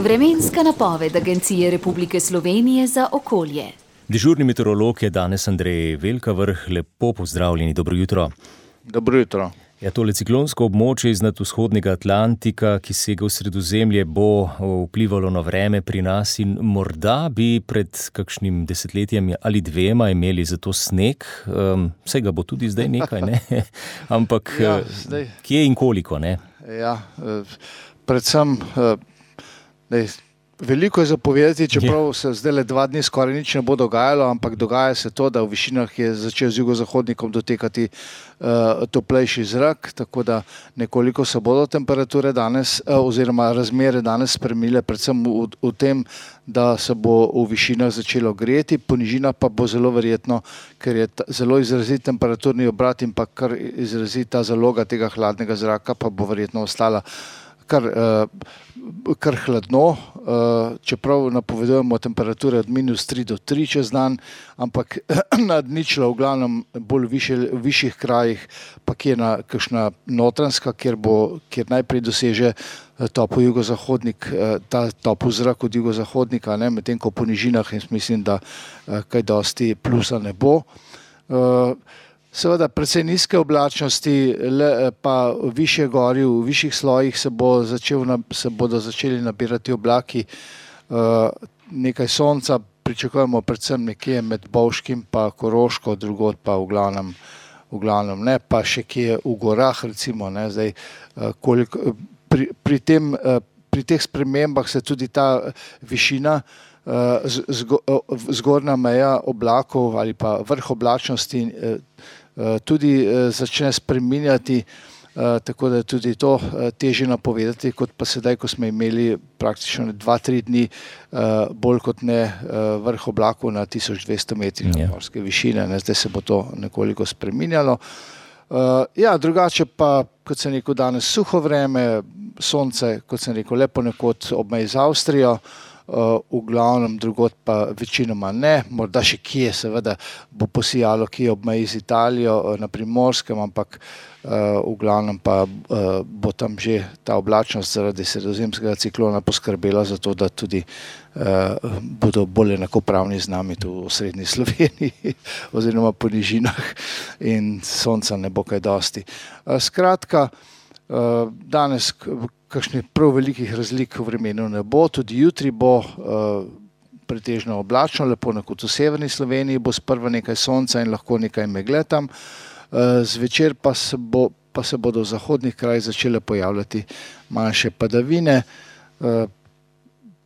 Vremenska napoved Agencije Republike Slovenije za okolje. Dežurni meteorolog je danes Andrej Velkavrh. Lepo pozdravljeni, dobro jutro. Dobro jutro. Ja, tole ciklonsko območje iznad vzhodnega Atlantika, ki sega v Sredozemlje, bo vplivalo na vreme pri nas in morda bi pred kakšnim desetletjem ali dvema imeli za to sneg. Vse ga bo tudi zdaj nekaj, ne? Ampak kje in koliko, ne? Ja, predvsem veliko je zapovedati, čeprav se zdaj le 2 dni skoraj nič ne bo dogajalo, ampak dogaja se to, da v višinah je začel z jugozahodnikom dotekati toplejši zrak, tako da nekoliko se bodo temperature danes oziroma razmere danes spremenile, predvsem v tem, da se bo v višinah začelo greti, po nižinah pa bo zelo verjetno, ker je zelo izrazit temperaturni obrat in pa kar izrazita zaloga tega hladnega zraka, pa bo verjetno ostala kar hladno, čeprav napovedujemo temperature od -3 do 3 čez dan, ampak nad ničlo v glavnem bolj v višjih krajih, pa kje kakšna notranjska, kjer najprej doseže topel jugozahodnik, ta topel zrak od jugozahodnika, medtem ko po nižinah mislim, da kaj dosti plusa ne bo. Seveda precej nizke oblačnosti, pa višje gori, v višjih slojih se bodo začeli nabirati oblaki, nekaj sonca pričakujemo predvsem nekje med Bovškim pa Koroško, drugod pa v glavnem ne, pa še kje v gorah recimo, ne, zdaj pri teh spremembah se tudi ta višina, zgornja meja oblakov ali pa vrh oblačnosti tudi začne spreminjati, tako da je tudi to težje napovedati, kot pa sedaj, ko smo imeli praktično 2-3 dni bolj kot ne vrh oblakov na 1200 metrih nadmorske višine, zdaj se bo to nekoliko spreminjalo. Ja, drugače pa, kot sem rekel, danes suho vreme, sonce, kot sem rekel, lepo nekod ob meji z Avstrijo, v glavnem drugod pa večinoma ne, morda še kje seveda bo posijalo kje ob meji z Italijo na Primorskem, ampak v glavnem pa bo tam že ta oblačnost zaradi sredozemskega ciklona poskrbela za to, da tudi bodo bolj enakopravni z nami tu v osrednji Sloveniji oziroma po nižinah in sonca ne bo kaj dosti. Skratka, danes kakšnih prav velikih razlik v vremenu ne bo, tudi jutri bo pretežno oblačno, lepo nekod v severni Sloveniji bo sprva nekaj sonca in lahko nekaj megle tam, zvečer pa se bodo v zahodnih krajih začele pojavljati manjše padavine,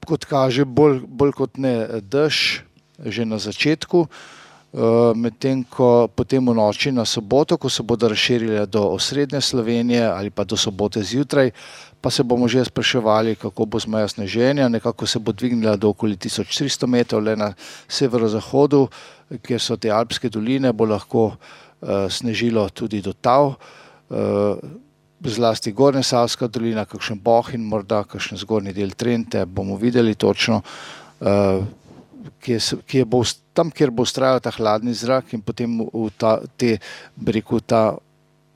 kot kaže bolj kot ne dež že na začetku, medtem ko potem v noči na soboto, ko se bodo razširile do osrednje Slovenije ali pa do sobote zjutraj, pa se bomo že spraševali, kako bo z mejo sneženja, nekako se bo dvignila do okoli 1300 metrov, le na severozahodu, kjer so te alpske doline, bo lahko snežilo tudi do Tav, zlasti Gornjesavska dolina, kakšen Bohinj, morda kakšen zgornji del Trente, bomo videli točno, tam, kjer bo vztrajal ta hladni zrak in potem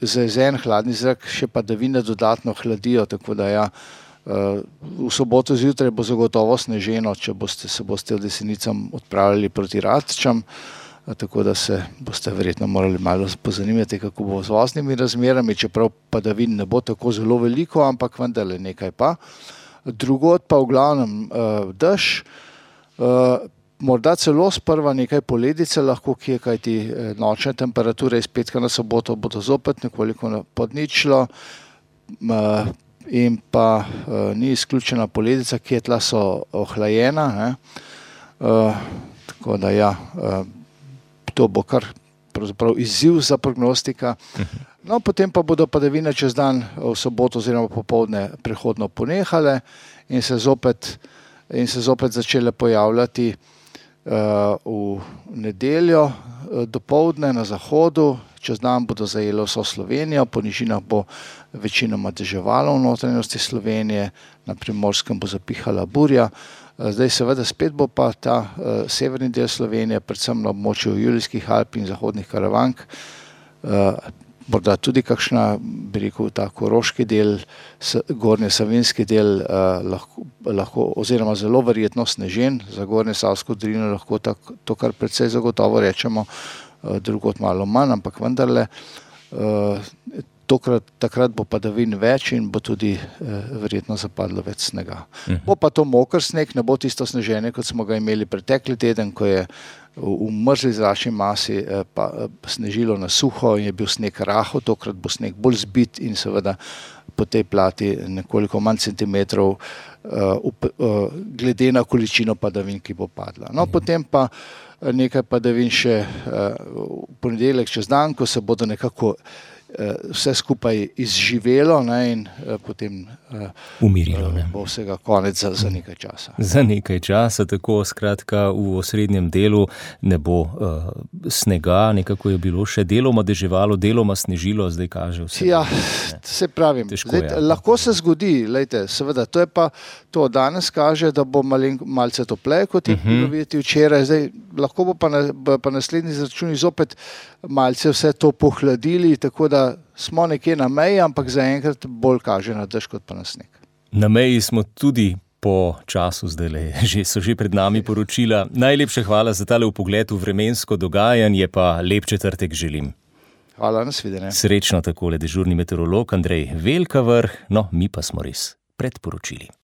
zajezen hladni zrak še padavine dodatno hladijo, tako da ja, v soboto zjutraj bo zagotovo sneženo, če se boste od Jesenicam odpravljali proti Račam, tako da se boste verjetno morali malo pozanimati, kako bo z voznimi razmerami, čeprav padavin ne bo tako zelo veliko, ampak vendarle nekaj pa. Drugod pa v glavnem dež, morda celo sprva nekaj poledice lahko kje, kajti nočne temperature iz petka na soboto bodo zopet nekoliko pod ničlo in pa ni izključena poledica, kje tla so ohlajena, tako da ja, to bo kar pravzaprav izziv za prognostika. No, potem pa bodo padavine čez dan v soboto oziroma popoldne prehodno ponehale in se zopet začele pojavljati v nedeljo dopoldne na zahodu, čez dan bodo zajele vso Slovenijo, po nižinah bo večinoma deževalo v notranjosti Slovenije, na Primorskem bo zapihala burja. Zdaj seveda spet bo pa ta severni del Slovenije, predvsem na območju Julijskih Alp in zahodnih Karavank, morda tudi kakšna, bi rekel, ta koroški del, gornje savinjski del lahko oziroma zelo verjetno snežen, za Gornje Savsko dolino lahko to kar precej zagotovo rečemo, drugod malo manj, ampak vendarle takrat bo padavin več in bo tudi verjetno zapadlo več snega. Bo pa to moker sneg, ne bo tisto sneženje, kot smo ga imeli pretekli teden, ko je v mrzli zračni masi pa snežilo na suho in je bil sneg rahel, tokrat bo sneg bolj zbit in seveda po tej plati nekoliko manj centimetrov glede na količino padavin, ki bo padla. No, potem pa nekaj padavin še v ponedeljek čez dan, ko se bodo nekako vse skupaj izživelo, ne, in potem umirilo, ne? Bo vsega konec za nekaj časa. Za nekaj časa, tako skratka v osrednjem delu ne bo snega, nekako je bilo še deloma deževalo, deloma snežilo, zdaj kaže vse. Ja, se pravim, lahko se zgodi, lejte, seveda, to je pa to, danes kaže, da bo malce topleje, kot je bilo videti včeraj, zdaj lahko bo pa naslednji izračuni zopet malce vse to pohladili, tako da smo nekje na meji, ampak zaenkrat bolj kaže na dež kot pa na sneg. Na meji smo tudi po času zdajle, so že pred nami poročila. Najlepše hvala za tale vpogled v vremensko dogajanje, pa lep četrtek želim. Hvala, nasvidenje. Srečno takole dežurni meteorolog Andrej Velkavrh, no mi pa smo res pred poročili.